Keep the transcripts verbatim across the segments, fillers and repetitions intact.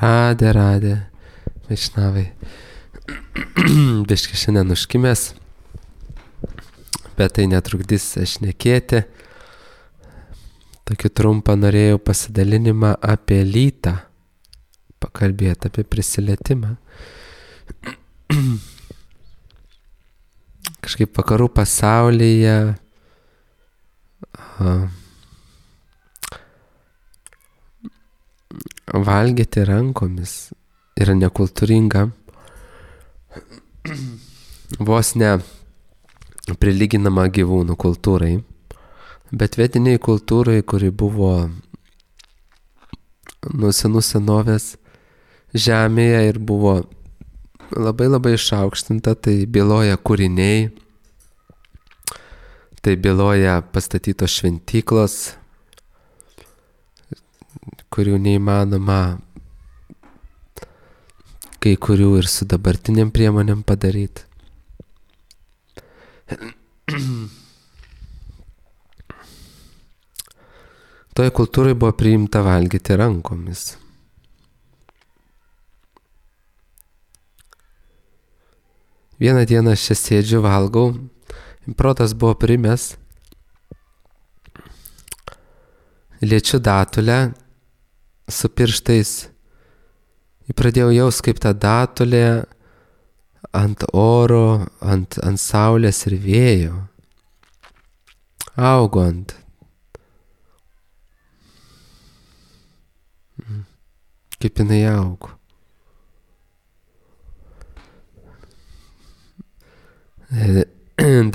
Radė, radė, vaišnavai. Biški šiandien užkimęs, bet tai netrukdys šnekėti. Tokį trumpą norėjau pasidalinimą apie lytą, pakalbėti apie prisilietimą. Kažkaip vakarų pasaulyje a, valgyti rankomis yra nekultūringa, vos ne prilyginama gyvūnų kultūrai, bet vietiniai kultūrai, kuri buvo nuo senų senovės žemėje ir buvo labai labai išaukštinta, tai byloja kūriniai, tai byloja pastatytos šventyklos, kurių neįmanoma kai kurių ir su dabartiniam priemonėm padaryti. Toj kultūrai buvo priimta valgyti rankomis. Vieną dieną aš čia sėdžiu, valgau, protas buvo primęs, liečiu datulę su pirštais ir pradėjau jaust, kaip ta datulė ant oro, ant, ant saulės ir vėjo augo ant. Kaip jinai augo.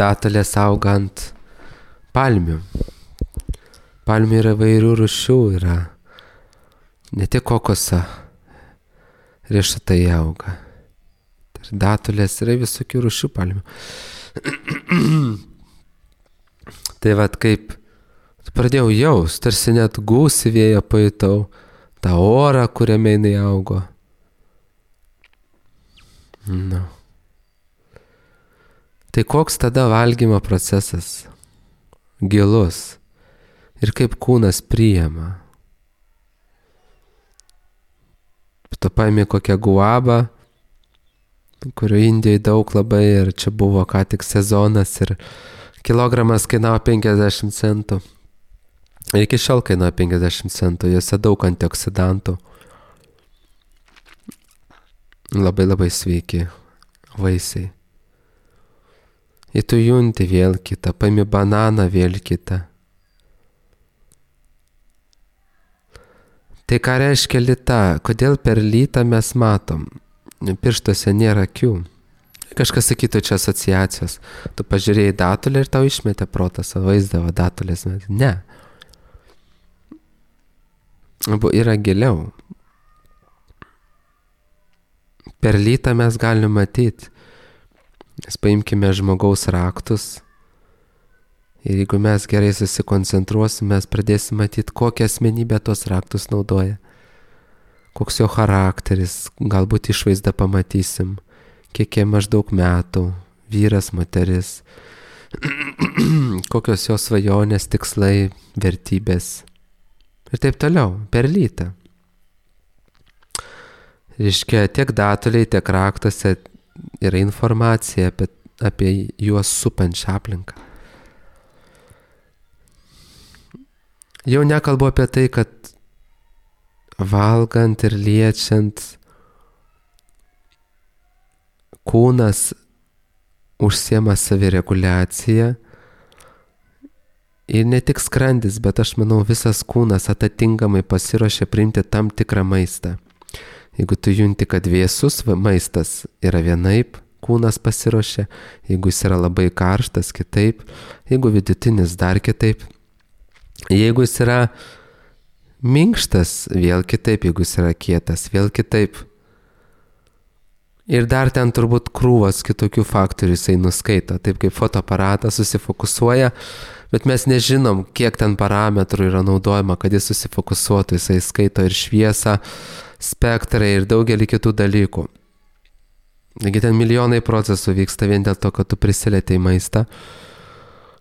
Datulės auga ant palmių. Palmių yra vairių rūšių, yra ne tik kokosa riešutai auga. Datulės yra visokių rūšių palmių. Tai vat kaip pradėjau jaust, tarsi net gūsį vėją pajutau, tą orą, kuriame jinai augo. No. Tai koks tada valgymo procesas? Gilus. Ir kaip kūnas priima. Tu paimi kokią guabą, kurio Indijoje daug labai ir čia buvo ką tik sezonas ir kilogramas kainavo penkiasdešimt centų. Ir iki šiol kainuoja penkiasdešimt centų, juose daug antioksidantų. Labai labai sveiki vaisiai. Ir tu junti vėl kitą, paimi bananą vėl kitą. Tai ką reiškia lyta? Kodėl per lytą mes matom? Pirštuose nėra akių. Kažkas sakytų čia asociacijos. Tu pažiūrėjai datulę ir tau išmetė protas, vaizdavo datulės. Ne. Yra giliau. Per lytą mes galim matyti. Mes paimkime žmogaus raktus. Ir jeigu mes gerai susikoncentruosim, mes pradėsim matyti, kokią asmenybę tos raktus naudoja. Koks jo charakteris, galbūt išvaizdą pamatysim, kiek jie maždaug metų, vyras, moteris, kokios jo svajonės, tikslai, vertybės. Ir taip toliau, per lytą. Reiškia, tiek datuliai, tiek raktuose yra informacija apie, apie juos supančią aplinką. Jau nekalbu apie tai, kad valgant ir liečiant kūnas užsiema savireguliacija ir ne tik skrandis, bet aš manau visas kūnas atitinkamai pasiruošia priimti tam tikrą maistą. Jeigu tu junti, kad vėsus maistas yra vienaip, kūnas pasiruošia, jeigu jis yra labai karštas, kitaip, jeigu vidutinis dar kitaip. Jeigu jis yra minkštas, vėl kitaip, jeigu jis yra kietas, vėl kitaip. Ir dar ten turbūt krūvas kitokių faktorių jisai nuskaito, taip kaip fotoaparatas susifokusuoja, bet mes nežinom, kiek ten parametrų yra naudojama, kad jis susifokusuotų, jisai skaito ir šviesą, spektrą ir daugelį kitų dalykų. Taigi ten milijonai procesų vyksta vien dėl to, kad tu prisilietei maistą.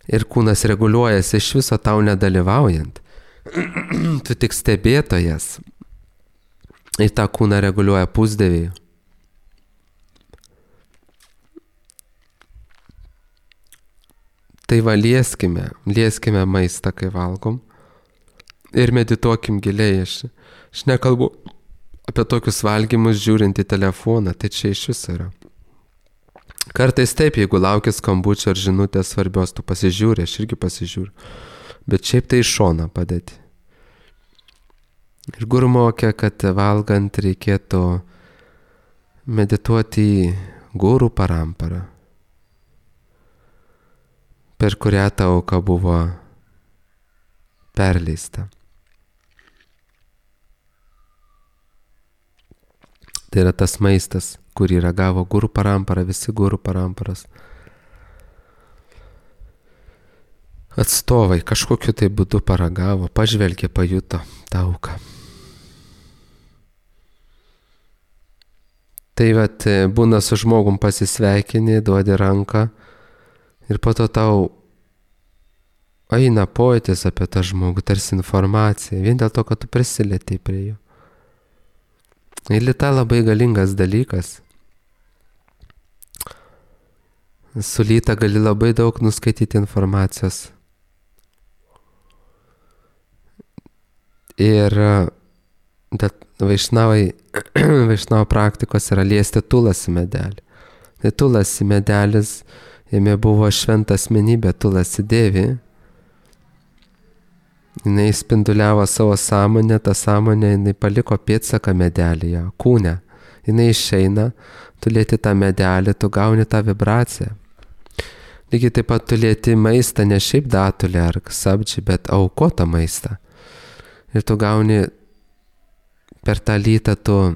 Ir kūnas reguliuojasi iš viso tau nedalyvaujant. Tu tik stebėtojas. Ir tą kūną reguliuoja pusdieviai. Tai va, lieskime, lieskime maistą, kai valgom. Ir medituokim giliai. Aš, aš nekalbu apie tokius valgymus žiūrint į telefoną, tai čia iš viso yra. Kartais taip, jeigu lauki skambučio ar žinutės svarbios, tu pasižiūri, aš irgi pasižiūriu. Bet šiaip tai iš šoną padėti. Ir guru mokė, kad valgant reikėtų medituoti į guru paramparą, per kurią ta auka buvo perleista. Tai yra tas maistas, kurį ragavo guru parampara, visi guru paramparas atstovai kažkokiu tai būdu paragavo, pažvelgė, pajuto tą auką. Tai vat būna su žmogum pasisveikini, duodi ranką ir po to tau eina pojūtis apie tą žmogų, tarsi informacija, vien dėl to, kad tu prisilietei prie jo. Ir lyta labai galingas dalykas. Su lyta gali labai daug nuskaityti informacijos. Ir vaišnavai, vaišnavo praktikos yra liesti tulasi medelį. Tai tulasi medelis, jame buvo šventa asmenybė tulasi devi. Jinai spinduliavo savo sąmonę, tą sąmonę jinai paliko pėdsaką medelyje, kūne. Jinai išeina, tu lieti tą medelį, tu gauni tą vibraciją. Lygiai taip pat tu lieti maistą, ne šiaip datulę ar sabdžiį, bet aukotą maistą. Ir tu gauni per tą lytą, tu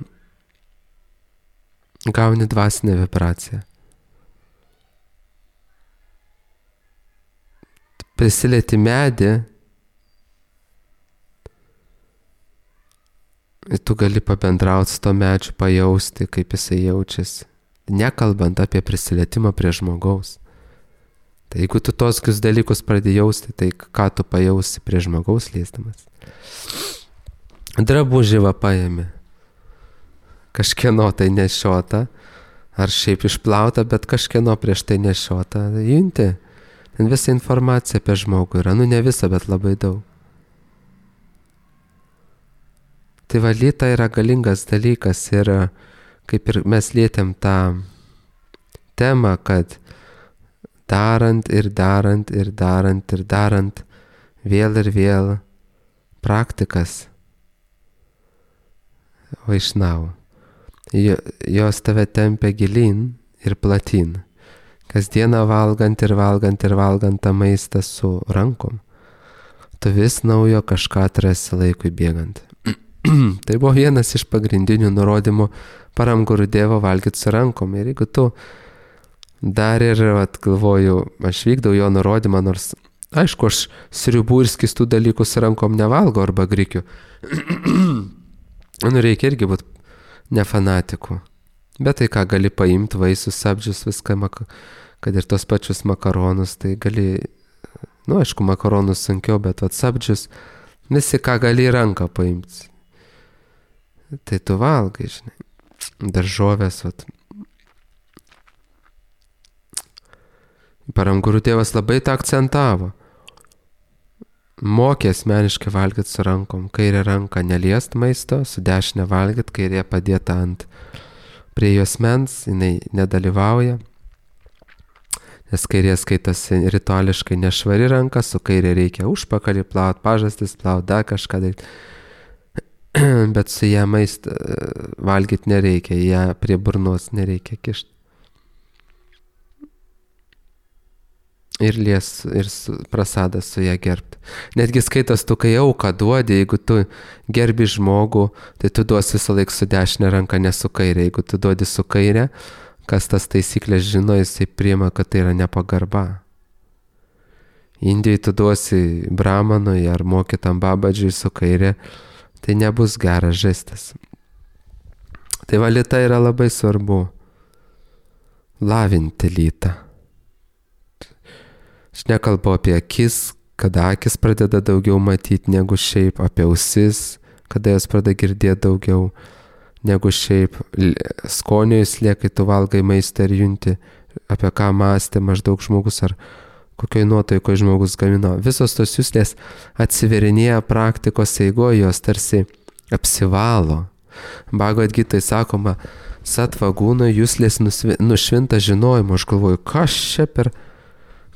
gauni dvasinę vibraciją. Prisilieti medį, ir tu gali pabendrauti su to medžiu, pajausti, kaip jisai jaučiasi, nekalbant apie prisilietimą prie žmogaus. Tai jeigu tu toskius dalykus pradėjai jausti, tai ką tu pajausi prie žmogaus liesdamas? Drabužį va paėmė, kažkieno tai nešiota, ar šiaip išplauta, bet kažkieno prieš tai nešiota, junti. Ten visa informacija apie žmogų yra, nu ne visa, bet labai daug. Tai valyta yra galingas dalykas ir kaip ir mes lietėm tą temą, kad darant ir darant ir darant ir darant vėl ir vėl praktikas vaišnavų. Jos tave tempia gilin ir platin. Kasdieną valgant ir valgant ir valgant tą maistą su rankom, tu vis naujo kažką atrasi laikui bėgant. Tai buvo vienas iš pagrindinių nurodymų Param Gurudevo valgyti su rankom. Ir jeigu tu dar ir, vat, galvoju, aš vykdau jo nurodymą, nors, aišku, aš sriubų ir skistų dalykų su rankom nevalgo arba grikiu. Nu, reikia irgi būti ne fanatiku. Bet tai ką, gali paimti vaisius, sabdžius, viską, kad ir tos pačius makaronus, tai gali, nu, aišku, makaronus sunkiau, bet vat sabdžius, visi ką gali į ranką paimti. Tai tu valgai, žinai, daržovės, vat. Param Gurudevas labai tą akcentavo. Mokė asmeniškai valgyti su rankom. Kairė ranka neliest maisto, su dešinė valgyti, kairė padėta ant prie jos mens, jinai nedalyvauja. Nes kairė skaitasi rituališkai nešvari ranka, su kairė reikia užpakalį plaut, pažastis plaut, dar kažką daryti. Bet su ją maistą valgyti nereikia, ją prie burnos nereikia kišti. Ir lies, ir su, prasadas su ją gerbti. Netgi skaitas, tu kai auką duodi, jeigu tu gerbi žmogų, tai tu duosi visą laiką su dešinė ranka, ne su kairė. Jeigu tu duodi su kairė, kas tas taisyklės žino, jisai priima, kad tai yra nepagarba. Indijai tu duosi bramanui ar mokytam babadžiui su kairė, tai nebus geras žestas. Tai va, lyta yra labai svarbu. Lavinti lytą. Aš nekalbu apie akis, kada akis pradeda daugiau matyti negu šiaip, apie ausis, kada jos pradeda girdėti daugiau, negu šiaip skonio įslė, kai tu valgai maistą ir junti, apie ką mąstė maždaug žmogus ar kokioj nuotaikoje žmogus gamino. Visos tos juslės atsiverinėja praktikos eigoje, jos tarsi apsivalo. Bhagavad Gitai sakoma, satvagūno juslės nušvinta žinojimu. Aš galvoju, kas čia per,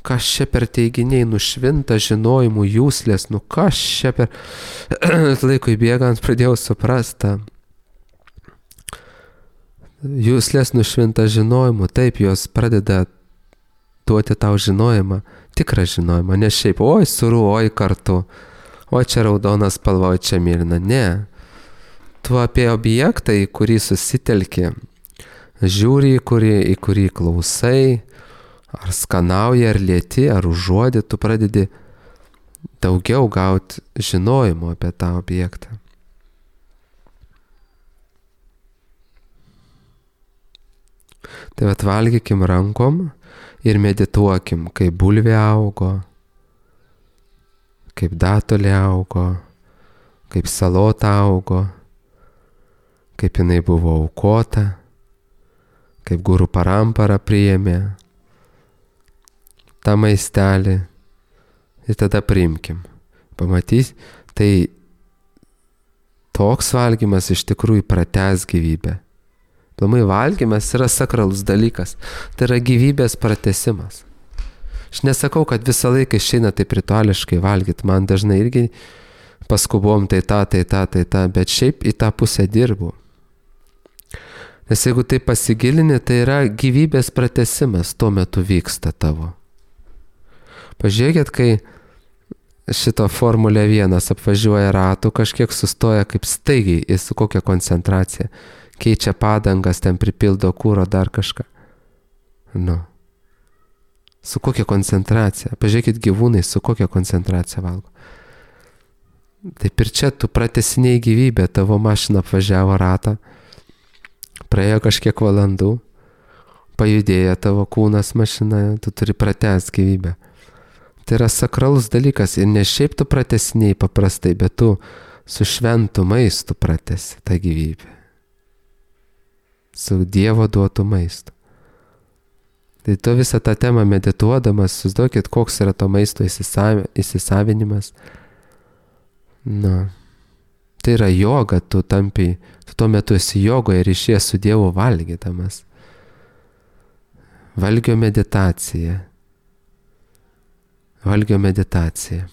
kas čia per teiginiai nušvinta žinojimu juslės, nu kas čia per... Laikui bėgant pradėjau suprastą. Juslės nušvinta žinojimu, taip, jos pradeda duoti tau žinojimą, tikrą žinojimą, ne šiaip, oi suru, oi kartu, oi čia raudonas spalva, oi čia mėlyna, ne. Tu apie objektą, į kurį susitelki, žiūri, į kurį, į kurį klausai, ar skanauji, ar lieti, ar užuodi, tu pradedi daugiau gauti žinojimo apie tą objektą. Tai vat valgykim rankom ir medituokim, kaip bulvė augo, kaip datulė augo, kaip salota augo, kaip jinai buvo aukota, kaip guru parampara priėmė tą maistelį ir tada priimkim. Pamatys, tai toks valgymas iš tikrųjų pratęs gyvybę. Plamai valgymas yra sakralus dalykas, tai yra gyvybės pratęsimas. Aš nesakau, kad visą laiką išeina taip rituališkai valgyti, man dažnai irgi paskubom tai tą, tai tą, tai tą, bet šiaip į tą pusę dirbu. Nes jeigu tai pasigilini, tai yra gyvybės pratęsimas, tuo metu vyksta tavo. Pažiūrėkit, kai šito Formulė vienas apvažiuoja ratų, kažkiek sustoja kaip staigiai ir su kokia koncentracija. Keičia padangas, ten pripildo kūro, dar kažką. Nu. Su kokia koncentracija? Pažiūrėkit gyvūnai, su kokia koncentracija valgo. Taip ir čia tu pratęsiniai gyvybę, tavo mašina apvažiavo ratą, praėjo kažkiek valandų, pajudėjo tavo kūnas mašina, tu turi pratęst gyvybę. Tai yra sakralus dalykas ir ne šiaip tu pratęsiniai paprastai, bet tu su šventu maistu pratęsi tą gyvybę. Su Dievo duotų maistu. Tai tu visą tą temą medituodamas, susiduokit, koks yra to maisto įsisavinimas. Na, tai yra joga, tu tampi, tu tuo metu esi jogoje ir išėjęs su Dievu valgydamas. Valgio meditacija. Valgio meditacija.